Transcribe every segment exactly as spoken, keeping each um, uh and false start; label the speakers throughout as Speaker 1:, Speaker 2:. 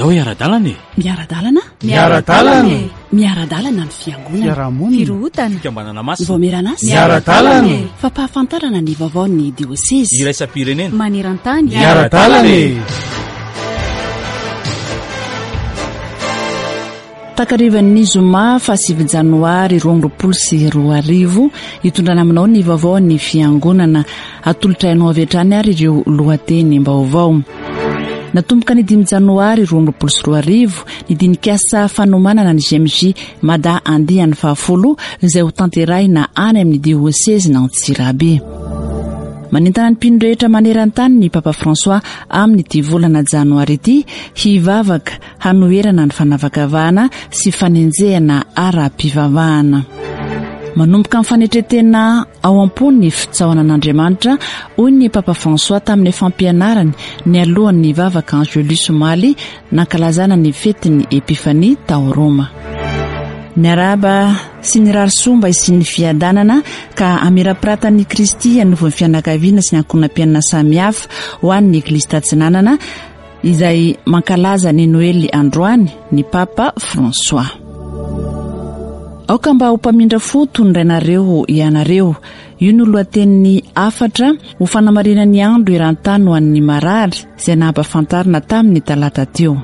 Speaker 1: Andao hiara-dalana e!
Speaker 2: Miara-dalana?
Speaker 3: Miara-dalana e!
Speaker 2: Miara-dalana ny fiangonana.
Speaker 3: Fiarahamonina.
Speaker 2: Firohotana.
Speaker 1: Fikambanana masina.
Speaker 2: Ny vaomieran'asa.
Speaker 3: Miara-dalana e!
Speaker 2: Fampahafantarana ny vaovaon'ny diosezy.
Speaker 1: Iraisam-pirenena.
Speaker 2: Maneran-tany.
Speaker 3: Miara-dalana e!
Speaker 2: Takarivan'ny zoma fahasivy janoary roa amby roapolo sy roa arivo, hitondrana aminao ny vaovaon'ny fiangonana. Atolotra anao avy hatrany ary ireo lohatenim-baovao. Natomboka ny dimy janoary roa amby roapolo sy roa arivo ny dinikasa fanomanana ny G M J Mada andiany fahafolo izay ho tanterahina any amin'ny diosezin'Antsirabe. Manentana ny mpino rehetra maneran-tany ny Papa François amin'ity volana janoary ity hivavaka hanoherana ny fanavakavahana sy fanenjehana ara-pivavahana. Manomboka amin'ny fanetren-tena ao am-po ny fitsaohana an'Andriamanitra, hoy ny Papa François tamin'ny fampianarany nialohan'ny vavaka Angelus omaly nankalazana ny fetin'ny Epifania tao Roma. Niarahaba sy nirary soa mba hisian'ny fiadanana ka hamirapiratan'i Kristy hanovon'ny fianakaviana sy ny ankohonam-piainana samihafa ho an'ny Eglizy Tatsinanana izay mankalaza ny Noely androany ny Papa François. Aoka mba ho mpamindra fo toy ny rainareo ianareo. Io no lohatenin'ny hafatra ho fanamarihana ny andro eran-tany ho an'ny marary izay nampahafantarina tamin'ny talata teo.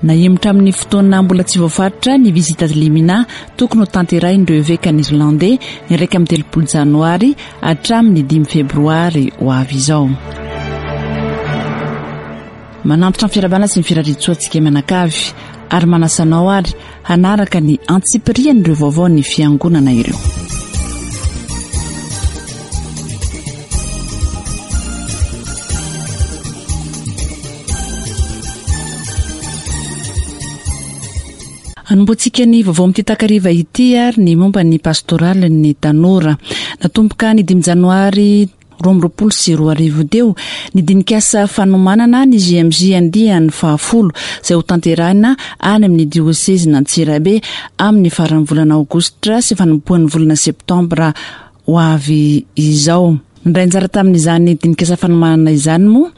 Speaker 2: Nahemotra amin'ny fotoana mbola tsy voafaritra ny visite ad limina tokony ho tanterahin'ireo evekan'ny Irlandais ny iraika amby telopolo janoary hatramin'ny dimy febroary ho avy izao. Manantitra ny fiarahabana sy ny firariantsoa antsika mianakavy ary manasa anao ary hanaraka ny antsipirian'ireo vaovaon'ny fiangonana ireo. Anombohantsika ny vaovao amin'ity takariva ity ary ny momba ny pastoralin'ny tanora. Natomboka ny dimy janoary roa amby roapolo sy roa arivo teo ny dinikasa fanomanana ny G M J andiany fahafolo izay ho tanterahina any amin'ny diosezin'Antsirabe amin'ny faran'ny volana aogositra sy fanombohan'ny volana septambra ho avy izao. Nandray anjara tamin'izany dinikasa fanomanana izany moa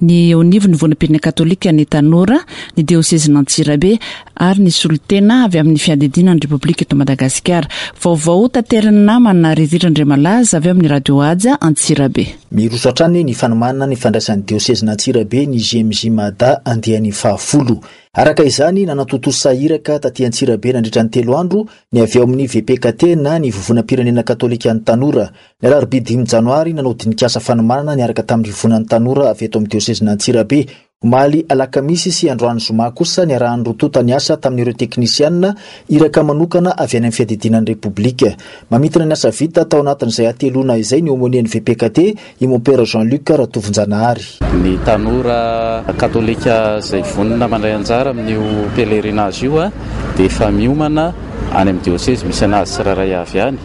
Speaker 2: ny eo anivon'ny Vondrom-pirenena katolika ny tanora, ny diosezin'Antsirabe ary ny solontena avy amin'ny fiadidiana ny Repoblika eto Madagasikara. Vaovao taterin'ny namana Rizitra Andriamalaza avy amin'ny Radio Haja Antsirabe.
Speaker 4: Miroso hatrany ny fanomanana ny fandraisan'ny diosezin'Antsirabe ny G M J Mada andiany fahafolo. Araka izany, nanatontosa iraka taty Antsirabe nandritra ny telo andro ny avy ao amin'ny V P K T na ny Vovonam-pirenena katolika ny tanora. Ny alarobia dimy janoary nanao dinikasa fanomanana niaraka tamin'ny Vovonan'ny tanora avy eto amin'ny diosezin'Antsirabe. Omaly alakamisy sy androany zoma kosa niarahan'ny roa tonta niasa tamin'ireo teknisianina iraka manokana avy any amin'ny fiadidiana ny Repoblika. Mamintina ny asa vita tao anatin'izay hateloana izay ny aumônier-n'ny V P K T, i Mompera Jean-Luc Ratovonjanahary.
Speaker 5: Ny tanora katolika izay vonona mandray anjara amin'io pèlerinage io a, dia efa miomana any amin'ny diosezy misy anazy tsirairay avy any.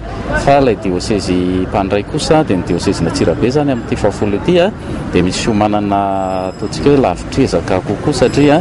Speaker 5: Fa ilay diosezy mpandray kosa dia ny diosezin'Antsirabe izany amin'ity fahafolo ity a, dia misy fiomanana ataontsika hoe lavitr'ezaka kokoa satria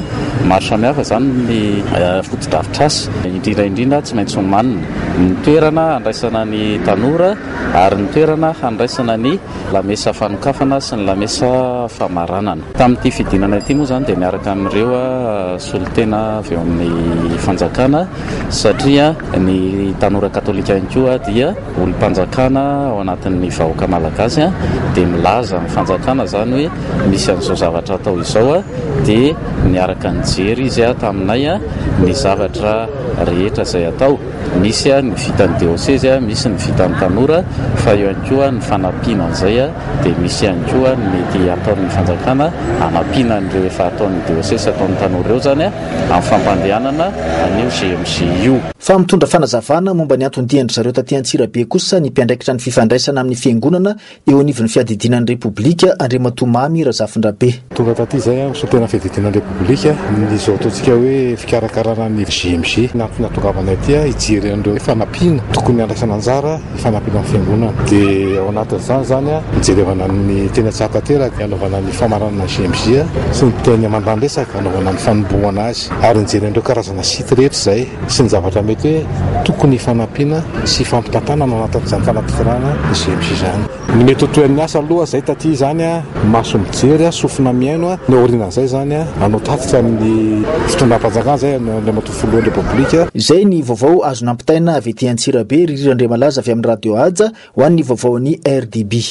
Speaker 5: maro samihafa izany ny, eh, fotodrafitrasa. Indrindra indrindra tsy maintsy homanina ny toerana handraisana ny tanora ary ny toerana handraisana ny lamesa fanokafana sy ny lamesa famaranana. Tamin'ity fidinana ity moa izany dia miaraka amin'ireo, eh, solontena avy eo amin'ny fanjakana satria ny tanora katolika ihany koa dia olom-panjakana ao anatin'ny vahoaka malagasy a, dia milaza amin'ny fanjakana izany hoe misy an'izao zavatra atao izao a, dia niaraka nijery izy a taminay a ny zavatra rehetra izay atao. Misy a ny vitan'ny diosezy a, misy ny vitan'ny tanora, fa eo ihany koa ny fanampiana an'izay a, dia misy ihany koa ny mety ataon'ny fanjakana hanampiana an'ireo efa ataon'ny diosezy sy ataon'ny tanora ireo izany a, amin'ny fampandehanana an'io G M J io.
Speaker 4: Fa mitondra fanazavana momba ny anton-dian-dry zareo taty Antsirabe kosa ny mpiandraikitra ny fifandraisana amin'ny fiangonana eo anivon'ny fiadidiana ny Repoblika, Andriamatoa Mamy Razafindrabe.
Speaker 6: Tonga taty izay aho, solontena fiadidiana ny Repoblika, ny izao ataontsika hoe fikarakarana ny G M J. Ny antony nahatongavana ity aho, hijery an'ireo fanampiana tokony handraisana anjara hifanampiana amin'ny fiangonana. Dia ao anatin'izany izany aho, nijerevana ny teny Antsahakateraka, hanaovana ny famaranana ny G M J sy ny teny Amandandresaka, hanaovana ny fanombohana azy. Ary nijery an'ireo karazana site rehetra izay sy ny zavatra mety hoe tokony hifanampiana sy hifampitantanana ao anatin'izany fanatanterahana ny G M J izany. Ny mety ho tohin'ny asa aloha zay taty zany a, maso mijery a, sofina mihaino a, ny aorianan'izay zany a, hanao tatitra amin'ny fitondram-panjakana zay Andriamatoa Filohan'ny Repoblika.
Speaker 4: Izay ny vaovao azo nampitaina avy ety Antsirabe. Ririra Andriamalaza avy amin'ny Radio Haja ho an'ny vaovaon'ny R D B.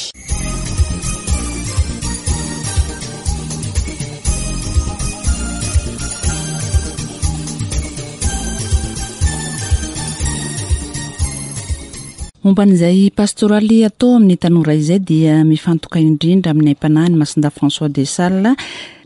Speaker 2: Momba an'izay pastoraly atao amin'ny tanora izay dia mifantoka indrindra amin'ny aim-panahy ny Masindahy François de Sales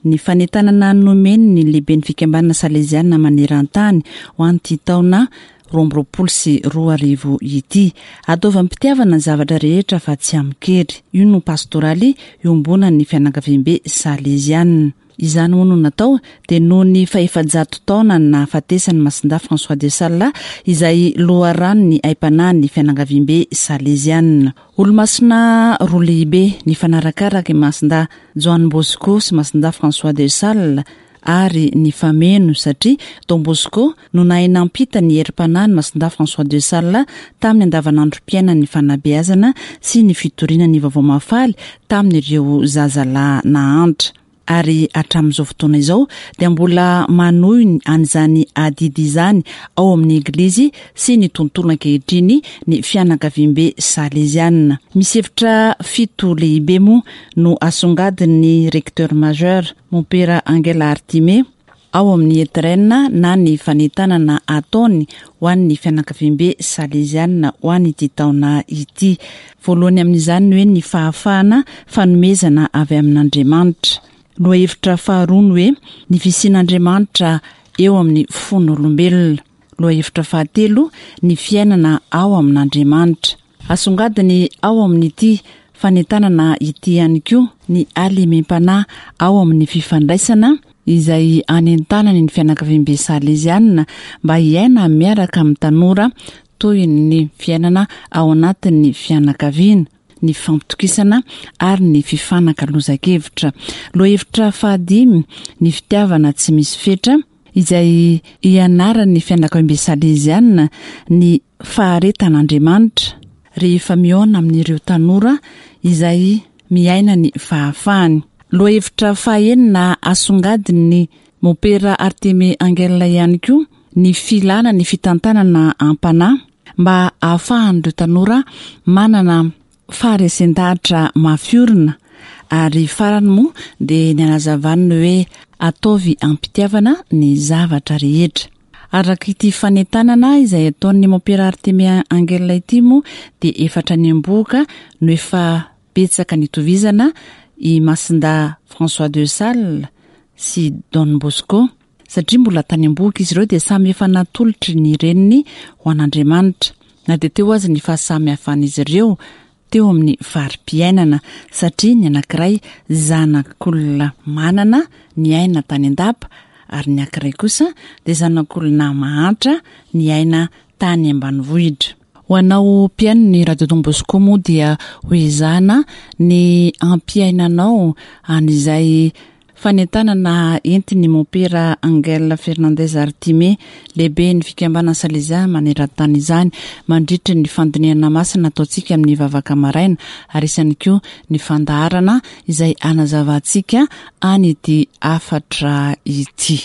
Speaker 2: ny fanentanana nomeny ny lehibe ny fikambanana saleziana maneran-tany ho an'ity taona roa amby roapolo sy roa arivo ity. Ataovy am-pitiavana ny zavatra rehetra fa tsy amin-kery. Io no pastoraly iombonan'ny fianakaviambe saleziana. Izany hono natao dia noho ny fahefajato taona nahafatesany Masindahy François de Sales izay loharano ny aim-panahy ny fianakaviambe saleziana. Olomasina roa lehibe ny fanarakaraka Masindahy Joan Bosco sy Masindahy François de Sales ary ny fameno satria Don Bosco no nahay nampita ny herim-panahy ny Masindahy François de Sales tamin'ny andavanandrom-piainan'ny fanabeazana sy ny fitoriana ny vaovao mahafaly tamin'ireo zazalahy nahantra. Ary hatramin'izao fotoana izao dia mbola manohy an'izany adidy izany ao amin'ny eglizy sy ny tontolo ankehitriny ny fianakaviambe saleziana. Misy hevitra fito lehibe moa no asongadin'ny recteur majeur Mompera Angela Artime ao amin'ny étrenne na ny fanentanana ataony ho an'ny fianakaviambe saleziana ho an'ity taona ity. Voalohany amin'izany ny hoe ny fahafahana fanomezana avy amin'Andriamanitra. Lohahevitra faharoa ny hoe ny fisian'Andriamanitra eo amin'ny fon'olombelona. Lohahevitra fahatelo ny fiainana ao amin'Andriamanitra. Asongadiny ao amin'ity fanentanana ity ihany koa ny halemem-panahy ao amin'ny fifandraisana izay anentanany ny fianakaviambe saleziana mba hiaina miaraka amin'ny tanora toy ny fiainana ao anatin'ny fianakaviana, ny fampitokisana ary ny fifanakalozan-kevitra. Lohahevitra fahadimy ny fitiavana tsy misy fetra izay ianaran'ny fianakaviambe saleziana ny faharetan'Andriamanitra rehefa mihaona amin'ireo tanora izay miaina ny fahafahany. Lohahevitra fahenina asongadin'ny Mompera Arteme Angel ihany koa ny filana ny fitantanana am-panahy mba ahafahan'ireo tanora manana faharesen-dahatra mafiorina. Ary farany moa dia ny anazavany ny hoe ataovy am-pitiavana ny zavatra rehetra. Araka ity fanentanana izay ataon'ny Mompera Arteme Angel ity moa dia efatra ny ambohoka no efa betsaka nitovizana i Masindahy François de Sales sy Don Bosco satria mbola tany ambohoka izy ireo dia samy efa natolotry ny reniny ho an'Andriamanitra na dia teo azy ny fahasamihafan'izy ireo teo amin'ny fari-piainana satria ny anankiray zanak'olona manana ny aina tany an-dapa ary ny anankiray kosa dia zanak'olona mahantra ny aina tany ambanivohitra. Ho anao mpihaino ny Radio Don Bosco moa dia ho ezahana ny ampiainanao an'izay fanentanana entin'ny Mompera Angel Fernandez Artime lehibe ny fikambanana Salezia maneran-tany izany mandritra ny fandinihana masina ataontsika amin'ny vavaka maraina ary isany koa ny fandaharana izay anazavantsika an'ity hafatra ity.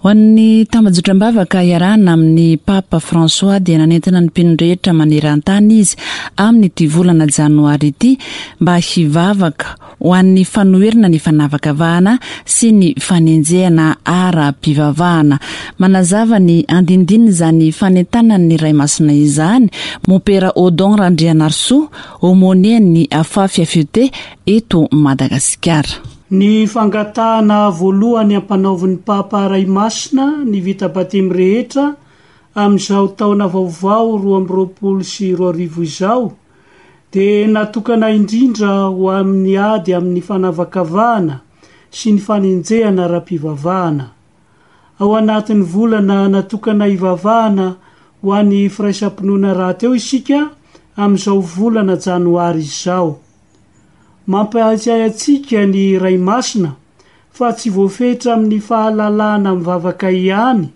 Speaker 2: Ho an'ny tambajotram-bavaka iarahana amin'ny Papa François dia nanentana ny mpino rehetra maneran-tany izy amin'ity volana janoary ity mba hivavaka ho an'ny fanoherana ny fanavakavahana sy ny fanenjehana ara-pivavahana. Manazava ny andindiny izany fanentanan'ny Ray Masina izany Mompera Odon Randrianarisoa, aumônier-n'ny Afafi F E T eto Madagasikara.
Speaker 1: Ny fangatahana voalohany ampanaovin'ny Papa Ray Masina ny vita batemy rehetra amin'izao taona vaovao roa amby roapolo sy roa arivo izao dia natokana indrindra ho amin'ny ady amin'ny fanavakavahana sy ny fanenjehana ara-pivavahana. Ao anatin'ny volana natokana hivavahana ho an'ny firaisam-pinoana rahateo isika amin'izao volana janoary izao. Mampahatsiahy antsika ny Ray Masina fa tsy voafetra amin'ny fahalalahana mivavaka ihany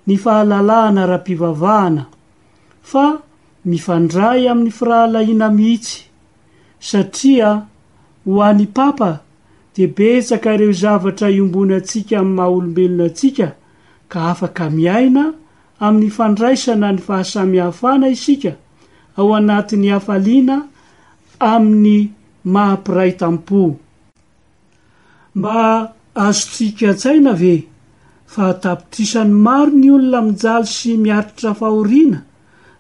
Speaker 1: ny fahalalahana ara-pivavahana, fa mifandray amin'ny firahalahiana mihitsy, satria ho an'ny Papa dia betsaka ireo zavatra iombonantsika amin'ny maha-olombelona antsika ka afaka miaina amin'ny fandraisana ny fahasamihafana isika ao anatin'ny hafaliana amin'ny maha-mpiray tampo. Mba azontsika an-tsaina ve fa tapitrisany maro ny olona mijaly sy miaritra fahoriana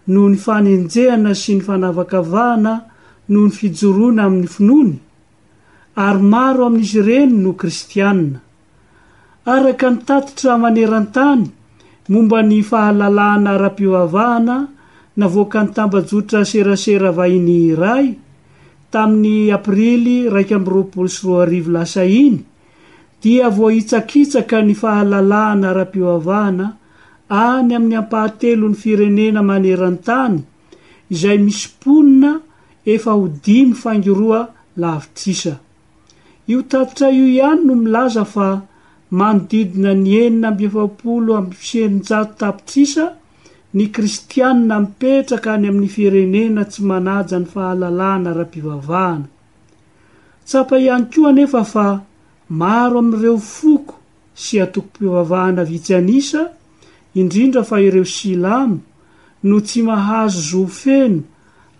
Speaker 1: noho ny fanenjehana sy ny fanavakavahana noho ny fijoroana amin'ny finoany? Ary maro amin'izy ireny no kristianina. Araka ny tatitra maneran-tany momba ny fahalalahana ara-pivavahana navoakan'ny tambajotra serasera vahiny iray tamin'ny aprily iraika amby roapolo sy roa arivo lasa iny, dia voahitsakitsaka ny fahalalahana ara-pivavahana any amin'ny ampahatelon'ny firenena maneran-tany izay misy mponina efa ho dimy faingo roa lavitrisa. Io tatitra io ihany no milaza fa manodidina ny enina amby efapolo amby sy eninjato tapitrisa ny kristianina mipetraka any amin'ny firenena tsy manaja ny fahalalahana ara-pivavahana. Tsapa ihany koa anefa fa maro amin'ireo foko sy antokom-pivavahana vitsy an'isa, indrindra fa ireo silamo, no tsy mahazo zo feno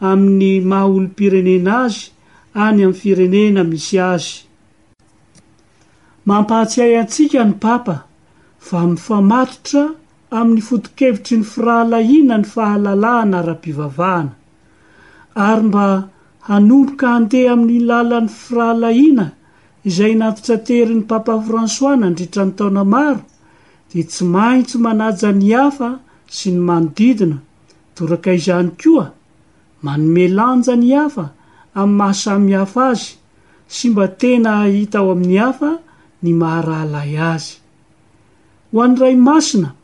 Speaker 1: amin'ny maha olom-pirenena azy any amin'ny firenena misy azy. Mampahatsiahy antsika ny Papa fa mifamatotra amin'ny foto-kevitry ny firahalahiana ny fahalalahana ara-pivavahana, ary mba hanomboka handeha amin'ny lalan'ny firahalahiana izay natitraterin'ny Papa François nandritra ny taona maro, dia tsy maintsy manaja ny hafa sy ny manodidina, toraka izany koa, manome lanja ny hafa amin'ny maha samihafa azy sy mba tena hahita ao amin'ny hafa ny maha-rahalahy azy. Ho an'ny Ray Masina,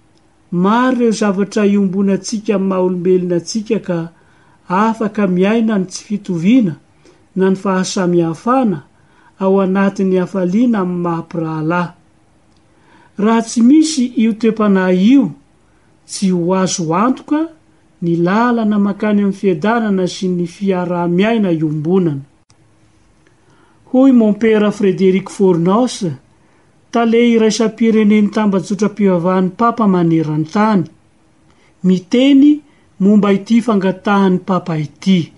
Speaker 1: maro ireo zavatra iombonantsika amin'ny maha-olombelona antsika ka afaka miaina ny tsy fitoviana na ny fahasamihafana ao anatin'ny hafaliana amin'ny maha-mpirahalahy. Raha tsy misy io toe-panahy io, tsy ho azo antoka ny lalana mankany amin'ny fiadanana sy ny fiaraha-miaina iombonana. Hoy Mompera Frédéric Fornos, tale iraisam-pirenen'ny tambajotram-pivavahan'ny Papa maneran-tany, miteny momba ity fangatahan'ny Papa ity.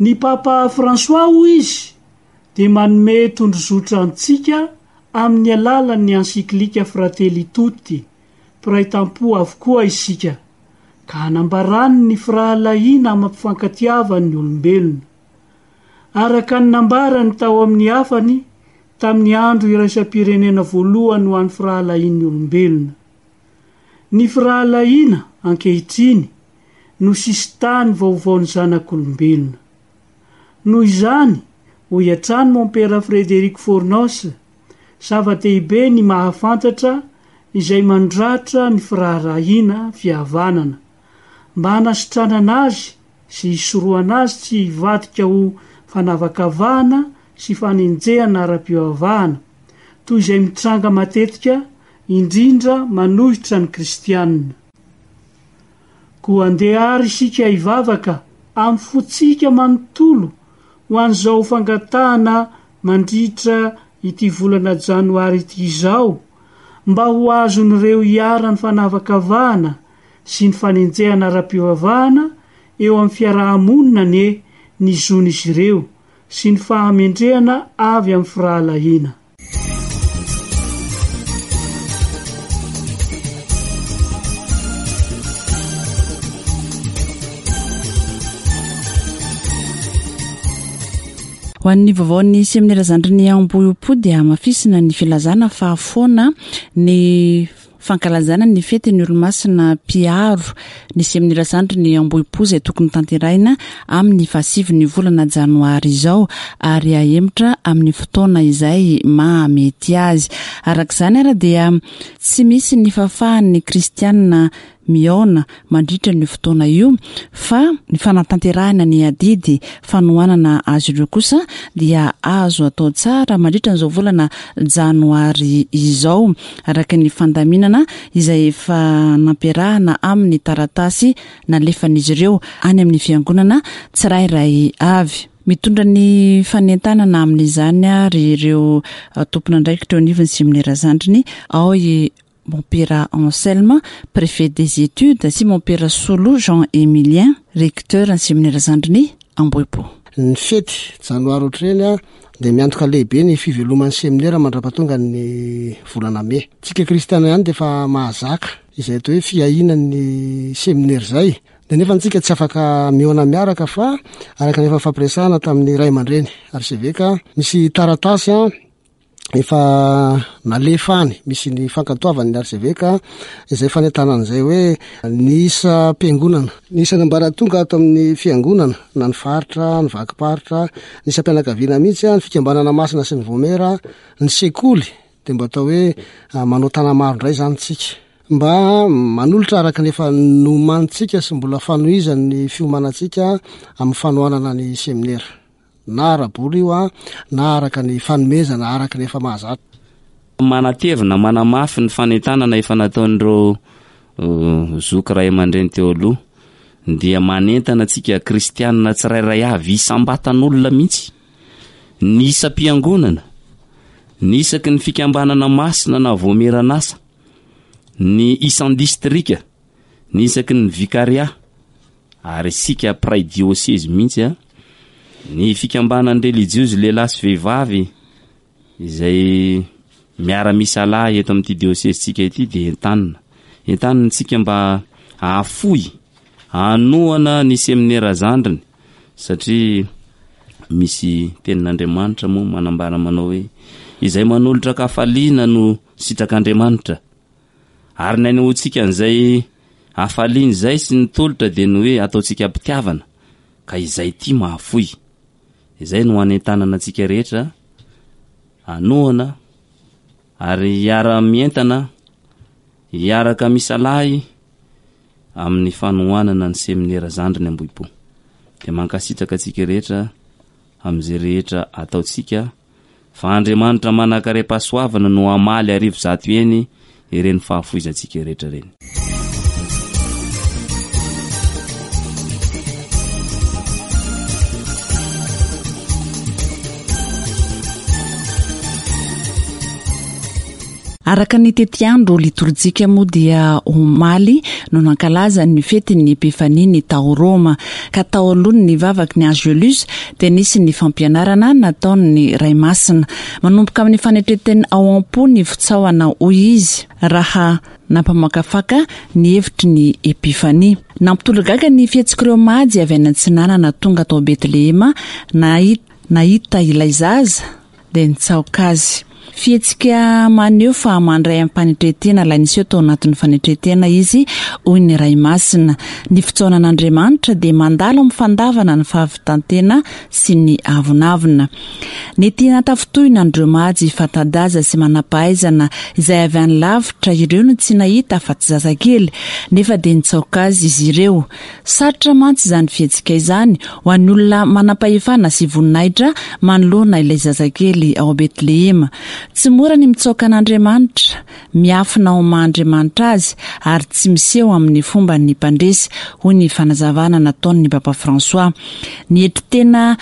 Speaker 1: Ny Papa François, hoy izy, dia manome tondrozotra antsika amin'ny alalan'ny encyclique Fratelli Tutti, mpiray tampo avokoa isika, ka hanambarany ny firahalahiana amam-pifankatiavan'ny olombelona. Araka ny nambarany tao amin'ny hafany tamin'ny andro iraisam-pirenena voalohany ho an'ny firahalahian'ny olombelona. Ny firahalahiana ankehitriny no sisintany vaovaon'ny zanak'olombelona. Noho izany, hoy hatrany Mompera Frédéric Fornos, zava-dehibe ny mahafantatra izay mandratra ny firaharahiana fihavanana, mba hanasitranana azy sy hisorohana azy tsy hivadika ho fanavakavahana sy fanenjehana ara-pivavahana, toy izay mitranga matetika, indrindra manohitra ny kristianina. Koa andeha ary isika hivavaka amin'ny fontsika manontolo ho an'izao fangatahana mandritra ity volana janoary ity izao, mba ho azon'ireo iharan'ny fanavakavahana sy ny fanenjehana ara-pivavahana eo amin'ny fiarahamonina anie ny zon'izy ireo sy ny fahamendrehana avy amin'ny firahalahiana.
Speaker 2: Ho an'ny vaovaon'ny seminera zandriny Ambohipo dia hamafisina ny filazana fa foana ny fankalazana ny fetin'ny olomasina mpiaro ny seminera zandriny Ambohipo izay tokony tanterahina amin'ny fahasivin'ny volana janoary izao ary ahemotra amin'ny fotoana izay mahamety azy. Araka izany ary dia tsy misy ny fahafahan'ny kristianina mihaona mandritra ny fotoana io, fa ny fanatanterahana ny adidy fanohanana azy ireo kosa dia azo atao tsara mandritra an'izao volana janoary izao, araka ny fandaminana izay efa nampiarahana amin'ny taratasy nalefan'izy ireo any amin'ny fiangonana tsirairay avy. Mitondra ny fanentanana amin'izany ary ireo tompon'andraikitra eo anivon'ny seminera zandriny ao i Mompera Anselme, préfet des études, sy Mompera Solo Jean Emilien, recteur ny seminera zandriny Ambohipo.
Speaker 7: Ny fety janoary ohatr'ireny a dia miantoka lehibe ny fiveloman'ny seminera mandra-pahatonga ny volana mey. Tsika kristiana ihany dia efa mahazaka izay atao hoe fiahiana ny seminera izay. Dia nefa antsika tsy afaka mihaona miaraka fa araka ny efa fampiresahana tamin'ny ray aman-dreny arseveka, misy taratasy a efa nalefa any, misy ny fankatoavan'ny arseveka izay fanentanana izay hoe ny isam-piangonana, ny isan'ambaratonga ato amin'ny fiangonana, na ny faritra, ny vakim-paritra, ny isam-pianakaviana mihitsy a, ny fikambanana masina sy ny vaomiera, ny sekoly, dia mba atao hoe manao tanamaro indray izany tsika. Mba manolotra araka ny efa nomanintsika sy mbola fanohizan'ny fiomanantsika amin'ny fanohanana ny seminera. Na ara-bola io a, na araka ny fanomezana araka ny efa mahazatra.
Speaker 8: Manatevina, manamafy ny fanentanana efa nataon'ireo zoky ray aman-dreny teo aloha, dia manentana antsika kristianina tsirairay avy isam-batan'olona mihitsy, ny isam-piangonana, ny isaky ny fikambanana masina na vaomieran'asa, ny isan-distrika, ny isaky ny vikaria, ary isika mpiray diosezy mihitsy a, ny fikambanan'ny relijiozy lehilahy sy vehivavy izay miara-misalahy eto amin'ity diosezintsika ity dia entanina. Entanina antsika mba hahafoy, hanohana ny seminera zandriny, satria misy tenin'Andriamanitra moa manambara manao hoe izay manolotra hafaliana no sitrak'Andriamanitra. Ary ny anehoantsika an'izay hafaliana izay sy ny tolotra dia ny hoe ataontsika am-pitiavana, ka izay tia mahafoy. Izay no anentanana antsika rehetra hanohana ary hiara-mientana, hiaraka misalahy amin'ny fanohanana ny seminera zandriny Ambohipo. Dia mankasitraka antsika rehetra amin'izay rehetra ataontsika, fa Andriamanitra manan-karem-pahasoavana no hamaly arivo zato eny ireny fahafoizantsika rehetra ireny.
Speaker 2: Araka ny tetiandro litorjika moa dia omaly no nankalaza ny fetin'ny Epifania ny tao Roma, ka tao alohany ny vavaky ny Angelus dia nisy ny fampianarana nataon'ny Ray Masina. Manomboka amin'ny fanetren-tena ao am-po ny fitsaohana, hoy izy, raha nampamakafaka ny hevitry ny Epifania. Nampitolagaga ny fihetsik'ireo majy avy any Antsinanana tonga tao Betlehema nahita ilay zaza dia nitsaoka azy. Fihetsika maneho fa mandray am-panetren-tena ilay niseho tao anatin'ny fanetren-tena izy, hoy ny Ray Masina. Ny fitsaonan'Andriamanitra dia mandalo amin'ny fandavana ny fahavitan-tena sy ny avonavona. Nety natafintohina an'ireo majy fanta-daza sy manam-pahaizana izay avy any lavitra ireo no tsy nahita afa-tsy zazakely, nefa dia nitsaoka azy izy ireo. Sarotra mantsy izany fihetsika izany ho an'ny olona manam-pahefana sy voninahitra manoloana ilay zazakely ao Betlehema. Tsy mora ny mitsaoka an'Andriamanitra, miafina ao maha-Andriamanitra azy ary tsy miseho amin'ny fomban'ny mpandresy, hoy ny fanazavana nataon'ny Papa François. Nietry tena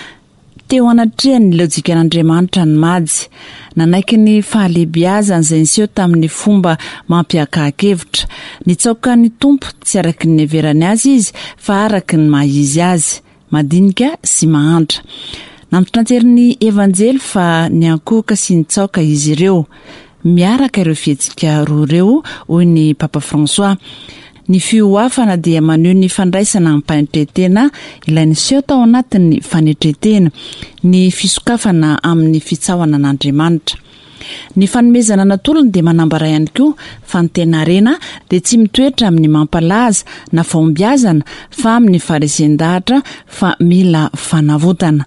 Speaker 2: teo anatrehan'ny lojikan'Andriamanitra ny majy. Nanaiky ny fahalehibiazany izay niseho tamin'ny fomba mampiakahan-kevitra. Nitsaoka ny Tompo tsy araky ny niheverany azy izy fa araky ny maha izy azy, madinika sy mahantra. Nampitanterin'ny Evanjely fa niankohoka sy nitsaoka izy ireo. Miaraka ireo fihetsika roa ireo, hoy ny Papa François. Ny fihoafana dia maneho ny fandraisana am-panetren-tena ilay niseho tao anatin'ny fanetren-tena, ny fisokafana amin'ny fitsaohana an'Andriamanitra. Ny fanomezana natolony dia manambara ihany koa fa ny tena harena dia tsy mitoetra amin'ny mampalaza na fahombiazana fa amin'ny faharesen-dahatra fa mila fanavotana.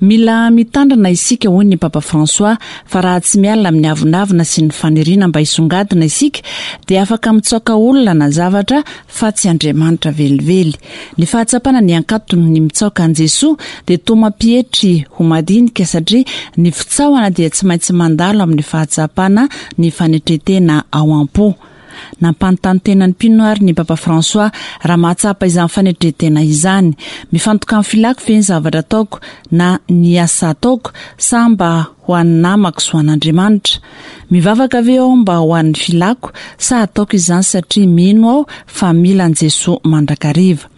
Speaker 2: Mila mitandrina isika, hoy ny Papa François, fa raha tsy miala amin'ny avonavona sy ny faniriana mba hisongadina isika dia afaka mitsaoka olona na zavatra fa tsy Andriamanitra velively. Ny fahatsapana ny ankatony ny mitsaoka an'i Jesoa dia toa mampietry ho madinika, satria ny fitsaohana dia tsy maintsy mandalo amin'ny fahatsapana ny fanetren-tena ao am-po. Nampanontany tena ny mpino ary ny Papa François raha mahatsapa izany fanetren-tena izany. Mifantoka amin'ny filako ve ny zavatra ataoko na ny asa ataoko, sa mba ho an'ny namako sy ho an'Andriamanitra? Mivavaka ve aho mba ho an'ny filako, sa ataoko izany satria mino aho fa mila an'i Jesoa mandrakariva?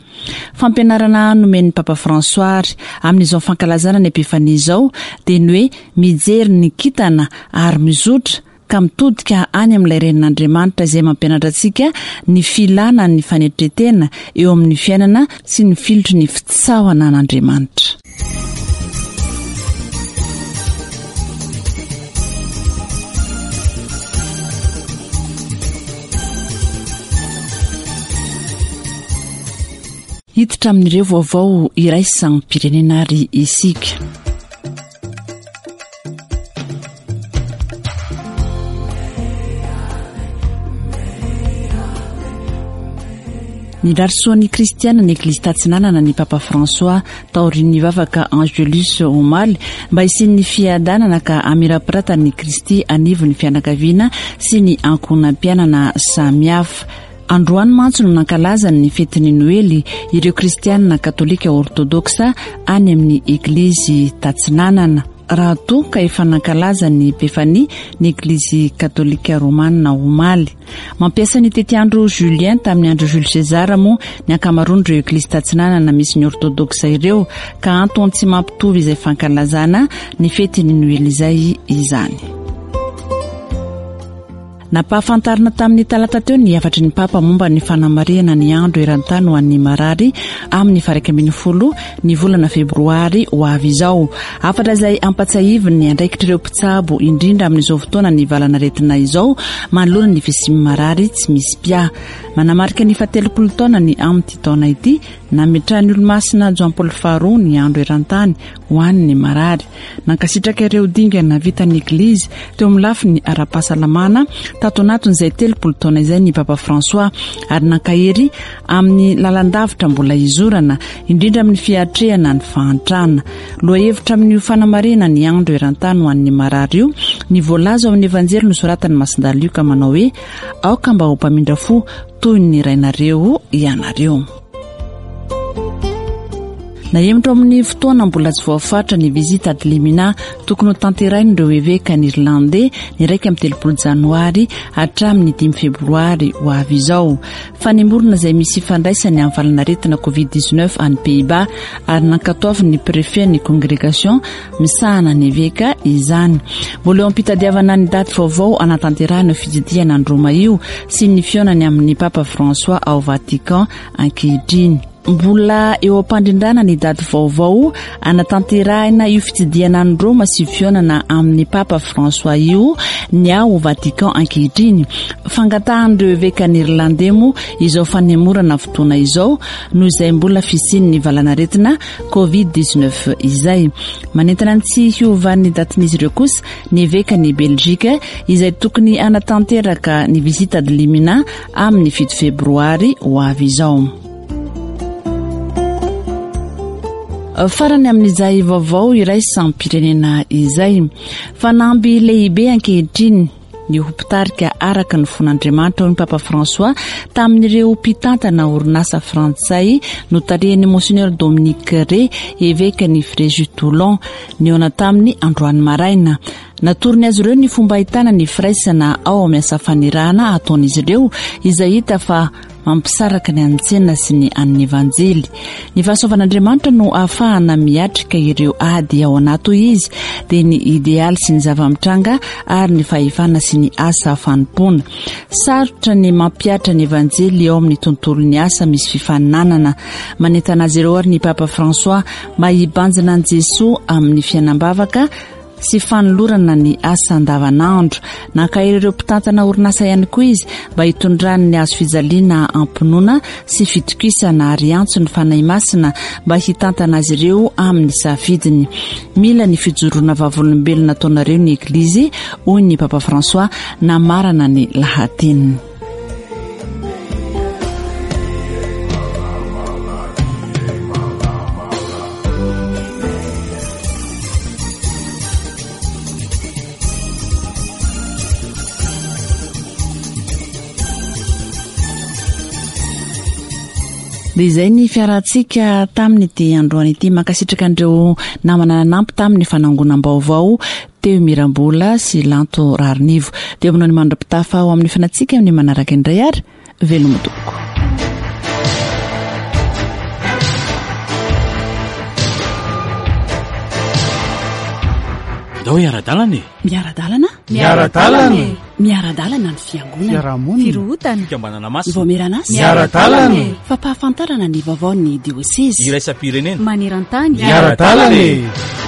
Speaker 2: Fampianarana nomen'ny Papa François ary amin'izao fankalazana ny Epifania izao dia ny hoe mijery ny kintana ary mizotra ka mitodika any amin'ilay renin'Andriamanitra izay mampianatra antsika ny filana ny fanetren-tena eo amin'ny fiainana sy ny filotry ny fitsaohana an'Andriamanitra. Hiditra amin'ireo vaovao iraisam-pirenena ary isika. Nirary soa ny kristiana ny Eglizy Tatsinanana ny Papa François taorian'ny vavaka Angelus omaly mba hisian'ny fiadanana ka hamirapiratan'ny Kristy anivon'ny fianakaviana sy ny ankohonam-piainana samihafa. Androany mantsy no nankalazany ny fetin'ny Noely ireo kristiana katolika ortodoksa any amin'ny Eglizy Tatsinanana, raha toa ka efa nankalaza ny Epifania ny Eglizy katolika romanina omaly. Mampiasa ny tetiandro Julien tamin'ny andro Jules César moa ny ankamaroan'ireo Eglizy Tatsinanana misy ny ortodoksa ireo, ka antony tsy mampitovy izay fankalazana ny fetin'ny Noely izay izany. Nampahafantarina tamin'ny talata teo ny hafatry ny Papa momba ny fanamarihana ny andro eran-tany ho an'ny marary amin'ny faha iraika ambin'ny folo ny volana febroary ho avy izao. Hafatra izay ampatsahiviny ny andraikitr'ireo mpitsabo indrindra amin'izao fotoana ny valanaretina izao manoloana ny fisian'ny marary tsy misy mpiahy. Manamarika ny fahatelopolo taona ny amin'ity taona ity nametrahan'ny olomasina Joan Paul faharoa ny andro eran-tany ho an'ny marary. Nankasitraka ireo dingana vitan'ny Eglizy teo amin'ny lafiny ara-pahasalamana tato anatin'izay telopolo taona izay ny Papa François, ary nankahery amin'ny lalan-davitra mbola izorana indrindra amin'ny fiatrehana ny fahantrana. Lohahevitra amin'io fanamarihana ny andro eran-tany ho an'ny marary io ny voalaza ao amin'ny Evanjely nosoratan'i Masindahy Lioka manao hoe aoka mba ho mpamindra fo toy ny rainareo ianareo. Nahemotra amin'ny fotoana mbola tsy voafaritra ny visite ad limina tokony ho tanterahin'ireo eveka ny Irlandais ny iraika amby telopolo janoary hatramin'ny dimy febroary ho avy izao. Fanemorana izay misy ifandraisany amin'ny valanaretina covid dix-neuf any Pays-Bas ary nankatoavin'ny préfet ny congrégation misahana ny eveka izany. Mbola eo am-pitadiavana ny daty vaovao anatanterahana io fitsidihana any Roma io sy ny fihaonany amin'ny Papa François ao Vatican ankehitriny. Mbola eo am-pandrindrana ny daty vaovao anatanterahina io fitsidihana any Roma sy fihaonana amin'ny Papa François io ny ao Vatican ankehitriny. Fangatahan'ireo eveka ny Irlandais moa izao fanemorana fotoana izao noho izay mbola fisian'ny valanaretina covid dix-neuf izay. Manentana ny tsy hiovan'ny datin'izy ireo kosa ny eveka ny Belgique izay tokony hanatanteraka ny visite ad limina amin'ny fito febroary ho avy izao. Farany amin'izay vaovao iraisam-pirenena izay. Fanamby lehibe ankehitriny ny ho mpitarika araka ny fon'Andriamanitra hoy ny Papa François tamin'ireo mpitantana orinasa frantsay notarihan'ny Monseigneur Dominique Rey, eveka ny Fréjus Toulon, nihaona tamin'ny androany maraina. Natorony azy ireo ny fomba ahitana ny firaisana ao amin'ny asa fanirahana ataon'izy ireo izay hita fa mampisaraka ny an'ny tsena sy ny an'ny Evanjely. Ny fahasoavan'Andriamanitra no ahafahana miatrika ireo ady ao anaty hoy izy, dia ny idealy sy ny zava-mitranga ary ny fahefana sy ny asa fanompoana. Sarotra ny mampihatra ny Evanjely eo amin'ny tontolon'ny asa misy fifaninanana. Manentana azy ireo ary ny Papa François mba hibanjina an'i Jesoa amin'ny fiainam-bavaka sy fanolorana ny asa andavanandro. Nankahery ireo mpitantana orinasa ihany koa izy mba hitondrany ny hazo fijaliana am-pinoana sy fitokisana ary antso ny Fanahy Masina mba hitantana azy ireo amin'ny safidiny. Mila ny fijoroana vavolombelona ataonareo ny Eglizy, hoy ny Papa François namarana ny lahateniny. Dia izay ny fiarahantsika tamin'ity androany ity. Mankasitraka an'ireo namana nanampy tamin'ny fanangonam-baovao teo Mirambola sy Lanto Rarinivo. Dia aminao ny mandra-pitafa ao amin'ny fanatsika amin'ny manaraka indray ary veloma tompoko.
Speaker 3: Ndao hiara-dalana e.
Speaker 2: Miara-dalana?
Speaker 3: Miara-dalana e.
Speaker 2: Miara-dalana ny fiangonana.
Speaker 3: Fiarahamonina.
Speaker 2: Firohotana.
Speaker 3: Fikambanana masina.
Speaker 2: Voameran'asa.
Speaker 3: Miara-dalana e.
Speaker 2: Fampahafantarana ny vaovaon'ny diosezy.
Speaker 3: Iraisam-pirenena.
Speaker 9: Maneran-tany.
Speaker 3: Miara-dalana e.